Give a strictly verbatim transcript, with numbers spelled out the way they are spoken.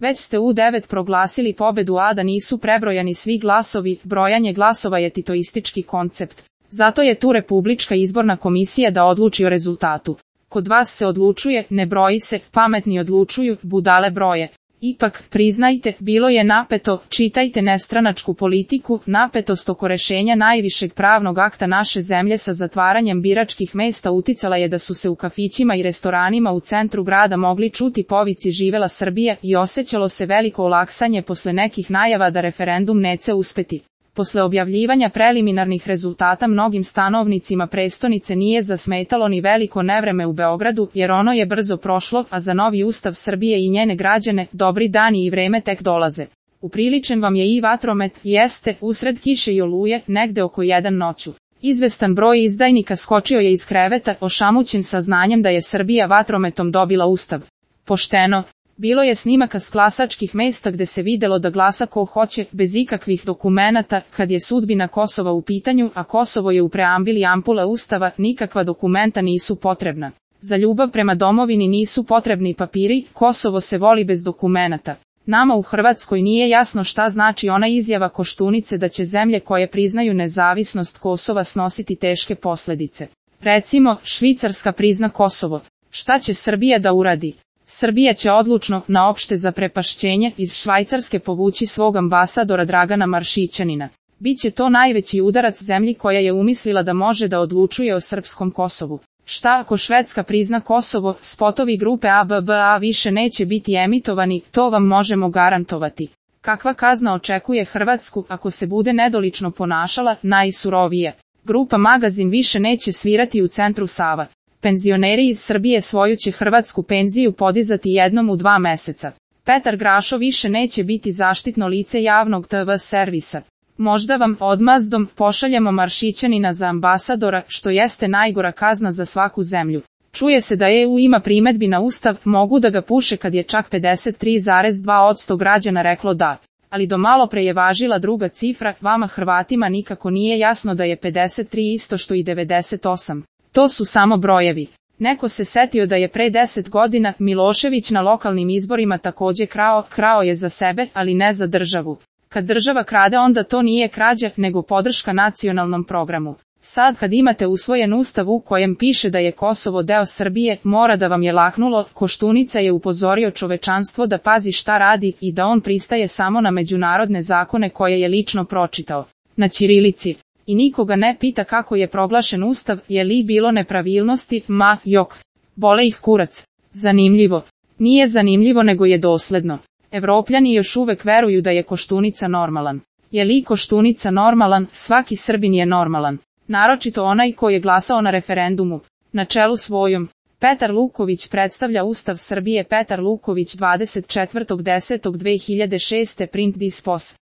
Već ste u devet proglasili pobedu, a da nisu prebrojani svi glasovi. Brojanje glasova je titoistički koncept. Zato je tu Republička izborna komisija da odluči o rezultatu. Kod vas se odlučuje, ne broji se, pametni odlučuju, budale broje. Ipak, priznajte, bilo je napeto, čitajte nestranačku politiku. Napetost oko rešenja najvišeg pravnog akta naše zemlje sa zatvaranjem biračkih mesta uticala je da su se u kafićima i restoranima u centru grada mogli čuti povici živela Srbija i osjećalo se veliko olaksanje posle nekih najava da referendum neće uspeti. Posle objavljivanja preliminarnih rezultata mnogim stanovnicima prestonice nije zasmetalo ni veliko nevreme u Beogradu, jer ono je brzo prošlo, a za novi ustav Srbije i njene građane, dobri dani i vreme tek dolaze. Upriličen vam je i vatromet, jeste, usred kiše i oluje, negde oko jedan noću. Izvestan broj izdajnika skočio je iz kreveta, ošamućen saznanjem da je Srbija vatrometom dobila ustav. Pošteno. Bilo je snimaka s glasačkih mesta gde se videlo da glasa ko hoće, bez ikakvih dokumenata. Kad je sudbina Kosova u pitanju, a Kosovo je u preambili ampula ustava, nikakva dokumenta nisu potrebna. Za ljubav prema domovini nisu potrebni papiri, Kosovo se voli bez dokumenata. Nama u Hrvatskoj nije jasno šta znači ona izjava Koštunice da će zemlje koje priznaju nezavisnost Kosova snositi teške posljedice. Recimo, Švicarska prizna Kosovo. Šta će Srbija da uradi? Srbija će odlučno, na opšte zaprepašćenje, iz Švajcarske povući svog ambasadora Dragana Maršićanina. Biće to najveći udarac zemlji koja je umislila da može da odlučuje o srpskom Kosovu. Šta ako Švedska prizna Kosovo, spotovi grupe A B B A više neće biti emitovani, to vam možemo garantovati. Kakva kazna očekuje Hrvatsku ako se bude nedolično ponašala? Najsurovije. Grupa Magazin više neće svirati u centru Sava. Penzioneri iz Srbije svoju će hrvatsku penziju podizati jednom u dva meseca. Petar Grašo više neće biti zaštitno lice javnog T V servisa. Možda vam odmazdom pošaljemo Maršićanina za ambasadora, što jeste najgora kazna za svaku zemlju. Čuje se da E U ima primedbi na ustav, mogu da ga puše kad je čak pedeset tri zarez dva posto građana reklo da. Ali do malo pre je važila druga cifra, vama Hrvatima nikako nije jasno da je pedeset tri isto što i devedeset osam. To su samo brojevi. Neko se setio da je pre deset godina Milošević na lokalnim izborima takođe krao, krao je za sebe, ali ne za državu. Kad država krade onda to nije krađa, nego podrška nacionalnom programu. Sad kad imate usvojen ustav u kojem piše da je Kosovo deo Srbije, mora da vam je laknulo. Koštunica je upozorio čovečanstvo da pazi šta radi i da on pristaje samo na međunarodne zakone koje je lično pročitao. Na ćirilici. I nikoga ne pita kako je proglašen ustav, je li bilo nepravilnosti, ma, jok. Bole ih kurac. Zanimljivo. Nije zanimljivo nego je dosledno. Evropljani još uvek veruju da je Koštunica normalan. Je li Koštunica normalan? Svaki Srbin je normalan. Naročito onaj ko je glasao na referendumu. Na čelu svojom. Petar Luković predstavlja Ustav Srbije. Petar Luković dvadeset četvrtog desetog dve hiljade šeste. Print dispos.